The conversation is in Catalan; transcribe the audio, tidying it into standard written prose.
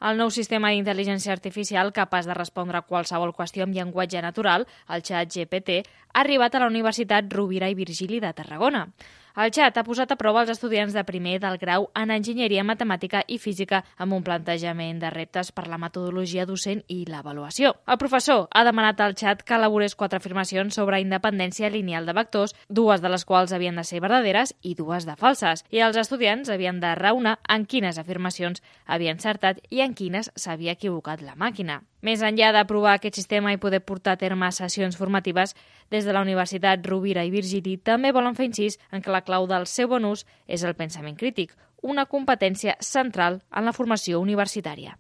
El nou sistema d'intel·ligència artificial capaç de respondre a qualsevol qüestió amb llenguatge natural, el ChatGPT, ha arribat a la Universitat Rovira i Virgili de Tarragona. El xat ha posat a prova els estudiants de primer del grau en enginyeria matemàtica i física amb un plantejament de reptes per la metodologia docent i l'avaluació. El professor ha demanat al xat que elaborés 4 afirmacions sobre independència lineal de vectors, 2 de les quals havien de ser verdaderes i 2 de falses, i els estudiants havien de raonar en quines afirmacions havia encertat i en quines s'havia equivocat la màquina. Més enllà de provar aquest sistema i poder portar a terme sessions formatives, des de la Universitat Rovira i Virgili també volen fer incís en que la clau del seu bon ús és el pensament crític, una competència central en la formació universitària.